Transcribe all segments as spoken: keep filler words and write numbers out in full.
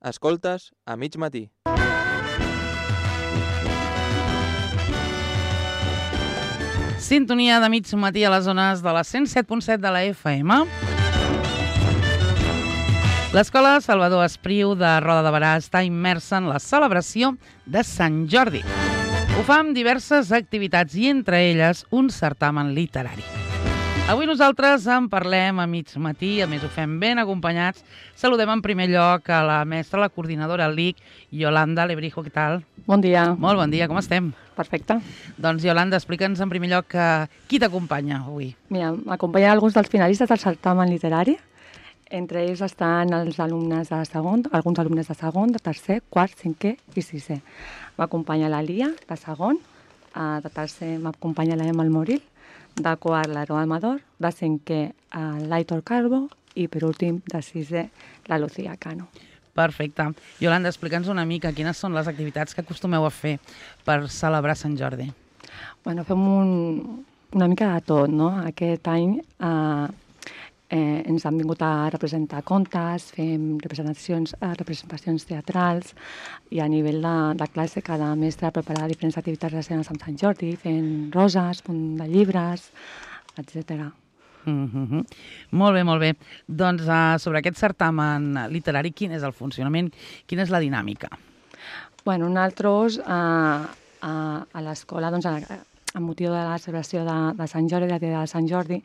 Escoltes a mig matí. Sintonia de mig matí a les zones de la cent set punt set de la F M. L'Escola Salvador Espriu de Roda de Berà està immersa en la celebració de Sant Jordi. Ho fa amb diverses activitats i entre elles un certamen literari. Avui nosaltres en parlem a mig matí, a més ho fem ben acompanyats. Saludem en primer lloc a la mestra, la coordinadora L I C, Yolanda Lebrijo, què tal? Bon dia. Molt bon dia, com estem? Perfecte. Doncs Yolanda, explica'ns en primer lloc uh, qui t'acompanya avui. Mira, m'acompanyen alguns dels finalistes del certamen literari. Entre ells estan els alumnes de segon, alguns alumnes de segon, de tercer, quart, cinquè i sisè. M'acompanya la Lia, de segon, uh, de tercer m'acompanya la Emma Moril, de quart l'Aroa Amador, de cinquè uh, l'Aitor Calvo i per últim de sisè la Lucía Cano. Perfecte. Yolanda, explica'ns una mica quines són les activitats que acostumeu a fer per celebrar Sant Jordi. Bueno, fem un, una mica de tot, no? Aquest any eh, eh, ens han vingut a representar contes, fem representacions, eh, representacions teatrals i a nivell de, de classe cada mestre prepara diferents activitats relacionades amb Sant Jordi, fent roses, punt de llibres, etcètera. Mm-hmm. Molt bé, molt bé. Doncs uh, sobre aquest certamen literari, quin és el funcionament? Quina és la dinàmica? Bueno, nosaltres uh, uh, a l'escola, doncs, a, amb motiu de la celebració de, de Sant Jordi, de de Sant Jordi,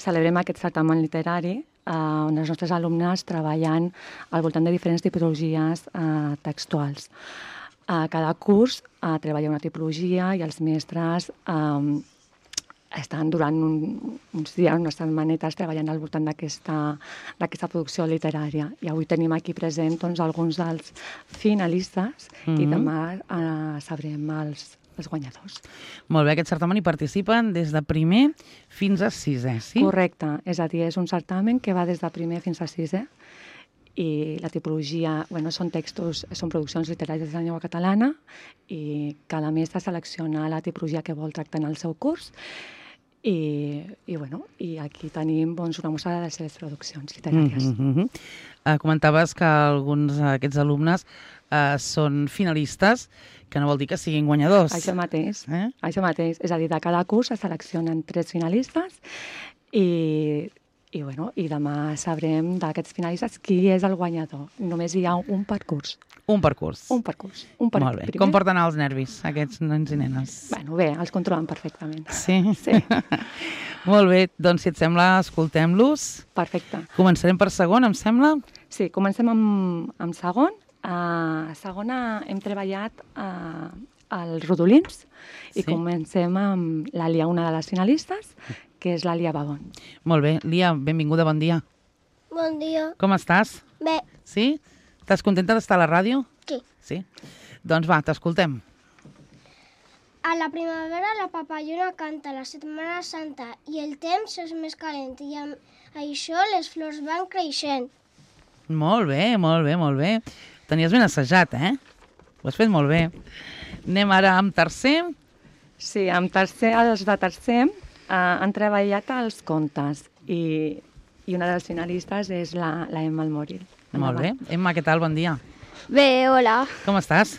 celebrem aquest certamen literari uh, on els nostres alumnes treballen al voltant de diferents tipologies uh, textuals. Uh, cada curs uh, treballa una tipologia i els mestres um, estan durant un, uns dies, unes setmanetes, treballant al voltant d'aquesta producció literària. I avui tenim aquí present doncs, alguns dels finalistes mm-hmm. i demà eh, sabrem els, els guanyadors. Molt bé, aquest certamen hi participen des de primer fins a sisè, sí? Correcte, és a dir, és un certamen que va des de primer fins a sisè i la tipologia, bueno, són textos, són produccions literàries de la llengua catalana i cada mestre selecciona la tipologia que vol tractar en el seu curs. I, i, bueno, i aquí tenim doncs, una mostra de les seves produccions literàries. Mm-hmm. uh, comentaves que alguns d'aquests alumnes uh, són finalistes, que no vol dir que siguin guanyadors. Això mateix, eh? això mateix. És a dir, de cada curs es seleccionen tres finalistes i, i, bueno, i demà sabrem d'aquests finalistes qui és el guanyador. Només hi ha un per curs. Un per curs. Un per curs. Un per Molt bé. Primer. Com porten els nervis, aquests nens i nenes? Bueno, bé, els controlen perfectament. Sí? Sí. Molt bé, doncs si et sembla, escoltem-los. Perfecte. Començarem per segon, em sembla? Sí, comencem amb, amb segon. A segona hem treballat uh, els rodolins i sí. Comencem amb la Lia, una de les finalistes, que és la Lia Babon. Molt bé. Lia, benvinguda, bon dia. Bon dia. Com estàs? Bé. Sí? Estàs contenta d'estar a la ràdio? Sí. Sí? Doncs va, t'escoltem. A la primavera la papallona canta, la Setmana Santa i el temps és més calent i amb això les flors van creixent. Molt bé, molt bé, molt bé. Tenies ben assajat, eh? Ho has fet molt bé. Anem ara amb tercer. Sí, amb tercer, els de tercer eh, han treballat els contes i, i una de les finalistes és la, la Emma Moril. Molt bé. Emma, què tal? Bon dia. Bé, hola. Com estàs?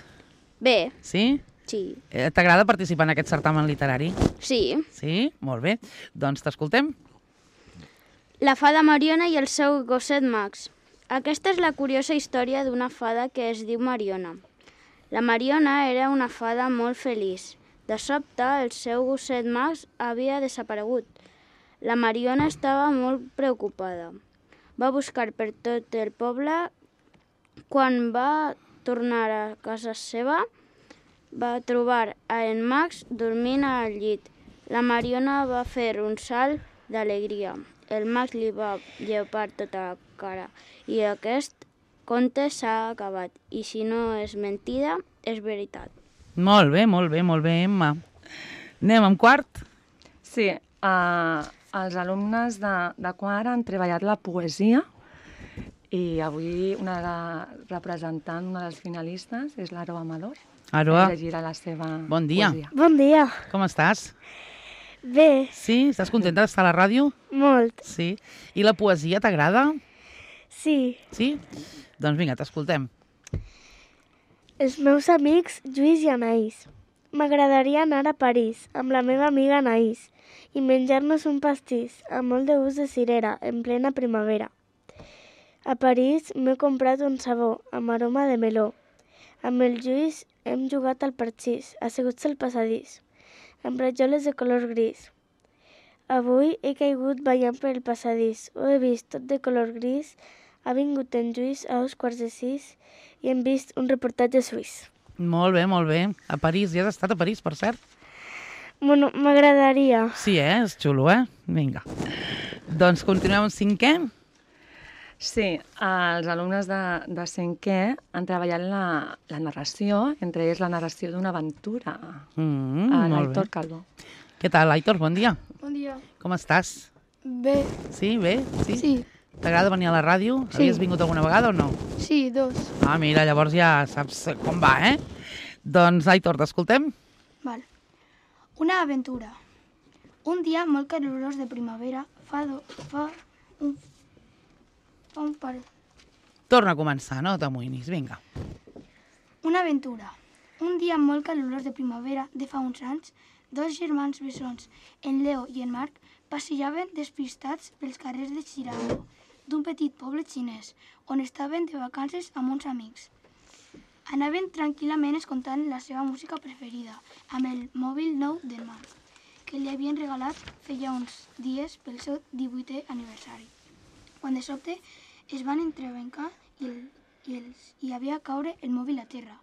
Bé. Sí? Sí. Eh, T'agrada participar en aquest certamen literari? Sí. Sí? Molt bé. Doncs t'escoltem. La fada Mariona i el seu gosset Max. Aquesta és la curiosa història d'una fada que es diu Mariona. La Mariona era una fada molt feliç. De sobte, el seu gosset Max havia desaparegut. La Mariona estava molt preocupada. Va buscar per tot el poble. Quan va tornar a casa seva, va trobar a en Max dormint al llit. La Mariona va fer un salt d'alegria. El Max li va llepar tota la cara. I aquest conte s'ha acabat. I si no és mentida, és veritat. Molt bé, molt bé, molt bé, Emma. Anem amb quart? Sí, uh, els alumnes de, de quart han treballat la poesia i avui una de la representant, una dels finalistes, és l'Aroa Amador. Aroa, llegirà la seva bon dia. poesia. Bon dia. Com estàs? Bé, Sí? Estàs contenta d'estar a la ràdio? molt. Sí. I la poesia t'agrada? Sí. Sí? Doncs vinga, t'escoltem. Els meus amics Lluís i Anaïs. M'agradaria anar a París amb la meva amiga Anaïs i menjar-nos un pastís amb molt de gust de cirera en plena primavera. A París m'he comprat un sabó amb aroma de meló. Amb el Lluís hem jugat al parxís, asseguts al passadís, amb rajoles de color gris. Avui he caigut ballant per el passadís. Ho he vist tot de color gris. Ha vingut en Lluís a dos quarts de sis i hem vist un reportatge suís. Molt bé, molt bé. A París. Ja has estat a París, per cert? Bueno, m'agradaria. Sí, eh? És xulo, eh? Vinga. Doncs continuem amb cinquè. Sí, els alumnes de, de cinquè han treballat la, la narració, entre ells la narració d'una aventura. Mm, a molt l'Aitor bé. Calvo. Què tal, Aitor? Bon dia. Bon dia. Com estàs? Bé. Sí, bé? Sí? Sí. T'agrada venir a la ràdio? Sí. Havies vingut alguna vegada o no? Sí, dos. Ah, mira, llavors ja saps com va, eh? Doncs, Aitor, t'escoltem? Val. Una aventura. Un dia molt calorós de primavera fa, do, fa un... fa un par... Torna a començar, no t'amoïnis, vinga. Una aventura. Un dia molt calorós de primavera de fa uns anys, dos germans bessons, en Leo i en Marc, passejaven despistats pels carrers de Chirango, d'un petit poble xinès, on estaven de vacances amb uns amics. Anaven tranquil·lament escoltant la seva música preferida, amb el mòbil nou del Marc, que li havien regalat feia uns dies pel seu divuitè aniversari. Quan de sobte es van entrebancar i, el, i, els, i havia caure el mòbil a terra.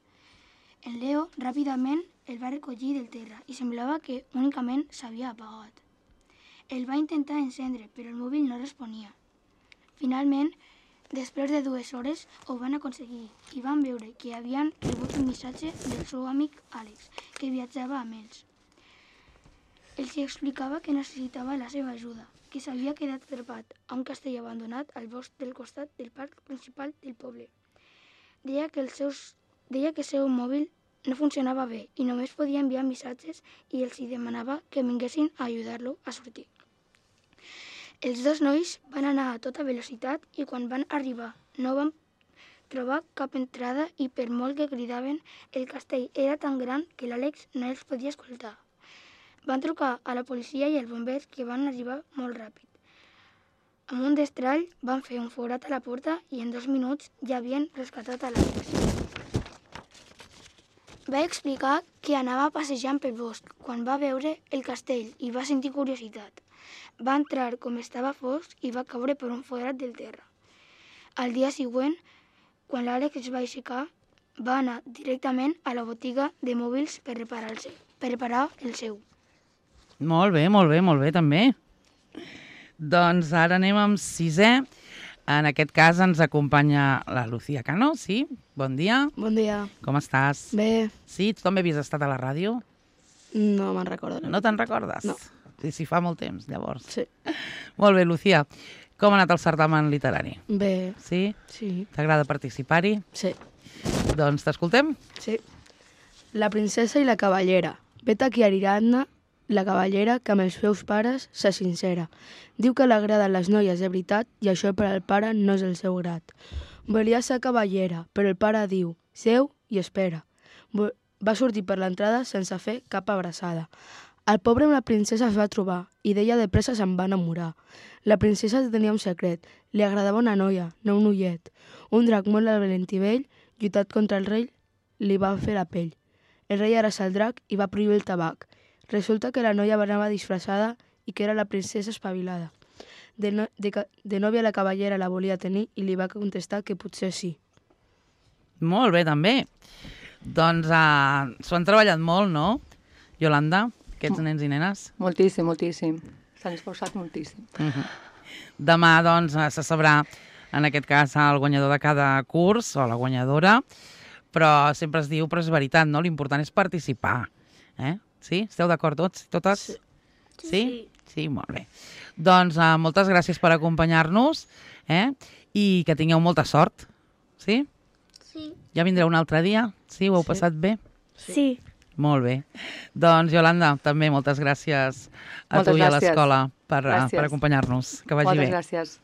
El Leo ràpidament el va recollir del terra i semblava que únicament s'havia apagat. El va intentar encendre, però el mòbil no responia. Finalment, després de dues hores, ho van aconseguir i van veure que havien rebut un missatge del seu amic Àlex, que viatjava amb ells. Els explicava que necessitava la seva ajuda, que s'havia quedat atrapat a un castell abandonat al bosc del costat del parc principal del poble. Deia que el, seus, deia que el seu mòbil no funcionava bé i només podia enviar missatges i els hi demanava que vinguessin a ajudar-lo a sortir. Els dos nois van anar a tota velocitat i quan van arribar no van trobar cap entrada i per molt que cridaven, el castell era tan gran que l'Àlex no els podia escoltar. Van trucar a la policia i als bombers que van arribar molt ràpid. Amb un destrall van fer un forat a la porta i en dos minuts ja havien rescatat a l'Àlex. Va explicar que anava passejant pel bosc quan va veure el castell i va sentir curiositat. Va entrar com estava fosc i va caure per un forat del terra. Al dia següent, quan l'Àlex es va aixecar, va anar directament a la botiga de mòbils per reparar el seu. Per reparar el seu. Molt bé, molt bé, molt bé, també. Doncs ara anem amb sisè. En aquest cas ens acompanya la Lucía Cano, sí? Bon dia. Bon dia. Com estàs? Bé. Sí? Tu també havies estat a la ràdio? No me'n recordo. No te'n recordes? No. Sí, sí, fa molt temps, llavors. Sí. Molt bé, Lucía. Com ha anat el certamen literari? Bé. Sí? Sí. T'agrada participar-hi? Sí. Doncs t'escoltem? Sí. La princesa i la cavallera. Vet aquí Ariadna, la cavallera, que amb els seus pares se sincera. Diu que l'agraden les noies de veritat i això per al pare no és el seu grat. Volia ser cavallera, però el pare diu, seu i espera. Va sortir per l'entrada sense fer cap abraçada. El pobre amb la princesa es va trobar i d'ella de pressa se'n va enamorar. La princesa tenia un secret. Li agradava una noia, no un ullet. Un drac molt valent i vell, lluitat contra el rei, li va fer la pell. El rei era el drac i va prohibir el tabac. Resulta que la noia anava disfressada i que era la princesa espavilada. De, no, de, de nòvia la cavallera la volia tenir i li va contestar que potser sí. Molt bé, també. Doncs uh, s'ho han treballat molt, no, Yolanda? Aquests nens i nenes? Moltíssim, moltíssim. S'han esforçat moltíssim. Uh-huh. Demà, doncs, se sabrà, en aquest cas, el guanyador de cada curs, o la guanyadora, però sempre es diu, però és veritat, no? L'important és participar. Eh? Sí? Esteu d'acord tots? Totes? Sí. Sí? Sí, sí molt bé. Doncs uh, moltes gràcies per acompanyar-nos, eh? I que tingueu molta sort. Sí? Sí. Ja vindreu un altre dia? Sí? Ho heu Sí. passat bé? Sí. Molt bé. Doncs, Yolanda, també moltes gràcies a Moltes tu i a gràcies. l'escola per, Gràcies. per acompanyar-nos. Que vagi Moltes bé. gràcies.